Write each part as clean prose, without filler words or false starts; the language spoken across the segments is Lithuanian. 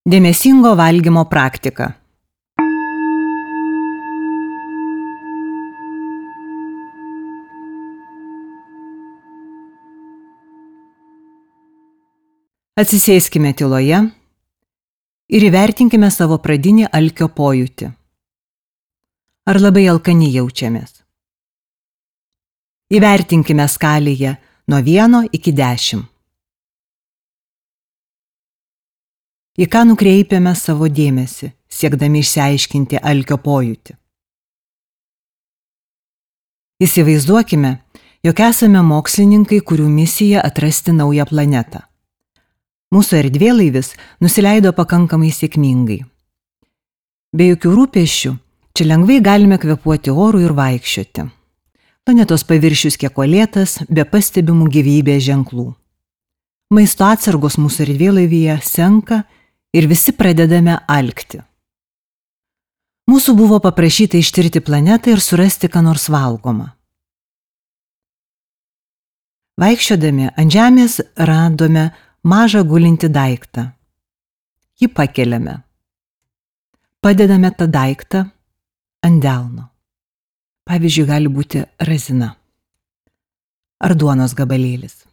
Dėmesingo valgymo praktika. Atsisėskime tyloje ir įvertinkime savo pradinį alkio pojūtį. Ar labai alkani jaučiamės? Įvertinkime skalėje nuo 1 iki 10. Į ką nukreipiame savo dėmesį, siekdami išsiaiškinti alkio pojūtį? Įsivaizduokime, jog esame mokslininkai, kurių misija atrasti naują planetą. Mūsų erdvėlaivis nusileido pakankamai sėkmingai. Be jokių rūpesčių, čia lengvai galime kvėpuoti oru ir vaikščioti. Planetos paviršius kiek uolėtas, be pastebimų gyvybės ženklų. Maisto atsargos mūsų erdvėlaivyje senka ir visi pradedame alkti. Mūsų buvo paprašyta ištirti planetą ir surasti ką nors valgomą. Vaikščiodami ant žemės radome mažą gulintį daiktą. Jį pakeliame. Padedame tą daiktą ant delno. Pavyzdžiui, gali būti razina ar duonos gabalėlis.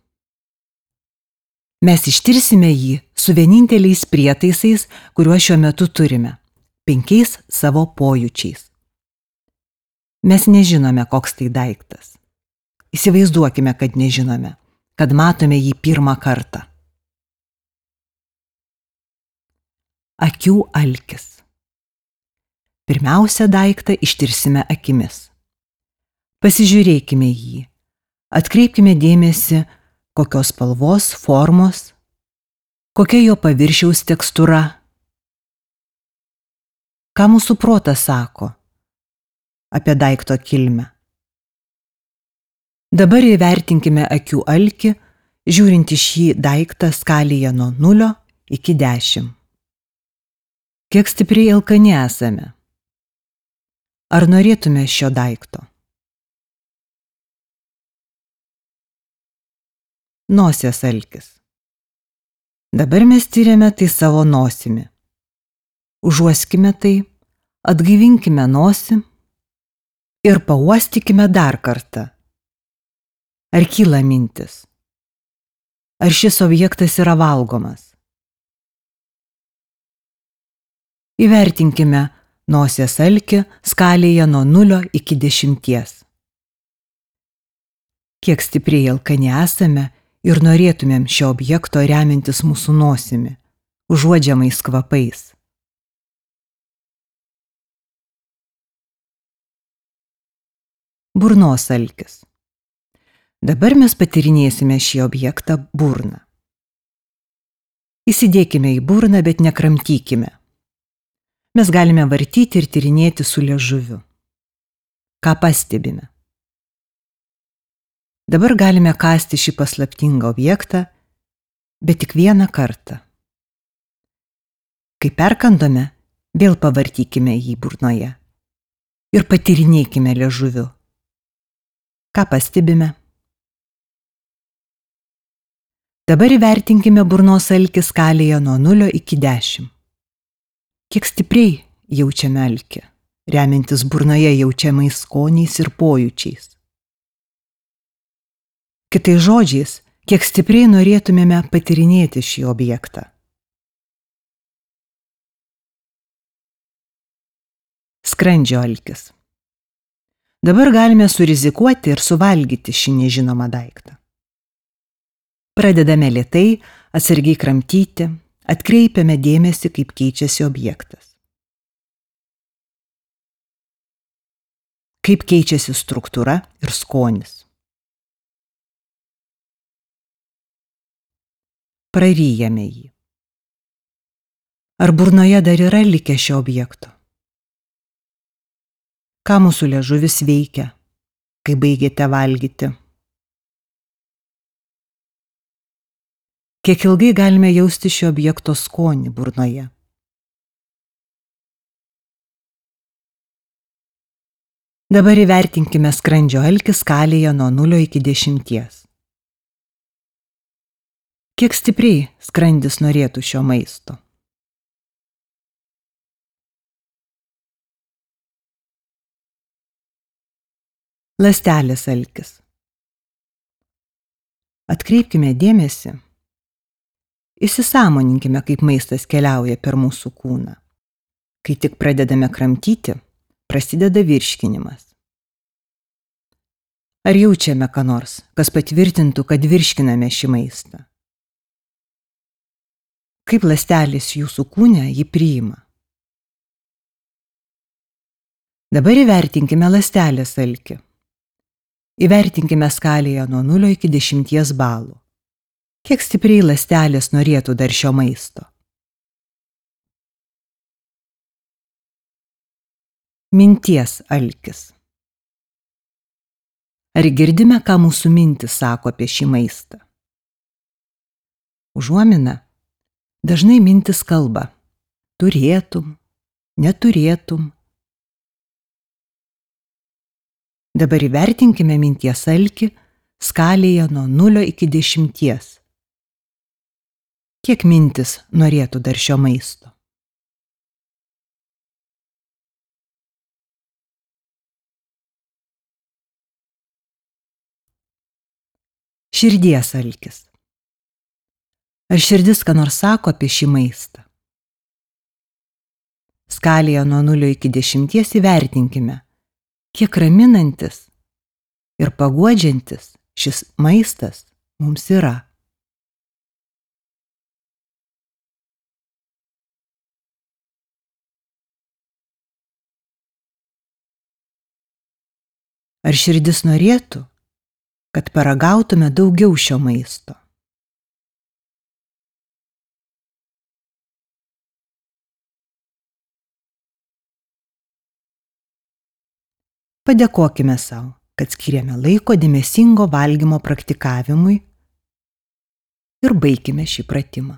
Mes ištirsime jį su vieninteliais prietaisais, kuriuos šiuo metu turime – 5 savo pojūčiais. Mes nežinome, koks tai daiktas. Įsivaizduokime, kad nežinome, kad matome jį pirmą kartą. Akių alkis. Pirmiausia daiktą ištirsime akimis. Pasižiūrėkime jį. Atkreipkime dėmesį, kokios spalvos, formos, kokia jo paviršiaus tekstūra. Ką mūsų protas sako apie daikto kilmę? Dabar įvertinkime akių alkį, žiūrint į šį daiktą skalėje nuo 0 iki 10. Kiek stipriai alkani esame? Ar norėtume šio daikto? Nosies alkis. Dabar mes tiriame tai savo nosimi. Užuoskime tai, atgaivinkime nosį ir pauostykime dar kartą. Ar kyla mintis? Ar šis objektas yra valgomas? Įvertinkime nosies alkį skalėje nuo 0 iki 10. Kiek stipriai alkani esame ir norėtumėm šio objekto remiantis mūsų nosimi, užuodžiamais kvapais. Burnos alkis. Dabar mes patyrinėsime šį objektą burną. Įsidėkime į burną, bet nekramtykime. Mes galime vartyti ir tyrinėti su liežuviu. Ką pastebime? Dabar galime kąsti šį paslaptingą objektą, bet tik vieną kartą. Kai perkandome, vėl pavartykime jį burnoje ir patyrinėkime liežuviu. Ką pastebime? Dabar įvertinkime burnos alkį skalėje nuo 0 iki 10. Kiek stipriai jaučiame alkį, remiantis burnoje jaučiamais skoniais ir pojūčiais. Kitais žodžiais, kiek stipriai norėtumėme patyrinėti šį objektą. Skrandžio alkis. Dabar galime surizikuoti ir suvalgyti šį nežinomą daiktą. Pradedame lėtai, atsargiai kramtyti, atkreipiame dėmesį, kaip keičiasi objektas. Kaip keičiasi struktūra ir skonis. Praryjame jį. Ar burnoje dar yra likę šio objekto? Ką mūsų liežuvis veikia, kai baigėte valgyti? Kiek ilgai galime jausti šio objekto skonį burnoje? Dabar įvertinkime skrandžio alkį skalėje nuo 0 iki 10. Kiek stipriai skrandis norėtų šio maisto? Ląstelės alkis. Atkreipkime dėmesį, įsisąmoninkime, kaip maistas keliauja per mūsų kūną. Kai tik pradedame kramtyti, prasideda virškinimas. Ar jaučiame ką nors, kas patvirtintų, kad virškiname šį maistą? Kaip ląstelės jūsų kūne jį priima? Dabar įvertinkime ląstelės alkį. Įvertinkime skalėje nuo 0 iki 10 balų. Kiek stipriai ląstelės norėtų dar šio maisto? Minties alkis. Ar girdime, ką mūsų mintys sako apie šį maistą? Užuomina. Dažnai mintys kalba. Turėtum, neturėtum. Dabar įvertinkime minties alkį skalėje nuo 0 iki 10. Kiek mintis norėtų dar šio maisto? Širdies alkis. Ar širdis ką nors sako apie šį maistą? Skalėje nuo 0 iki 10 įvertinkime, kiek raminantis ir paguodžiantis šis maistas mums yra. Ar širdis norėtų, kad paragautume daugiau šio maisto? Padėkokime sau, kad skiriame laiko dėmesingo valgymo praktikavimui ir baikime šį pratimą.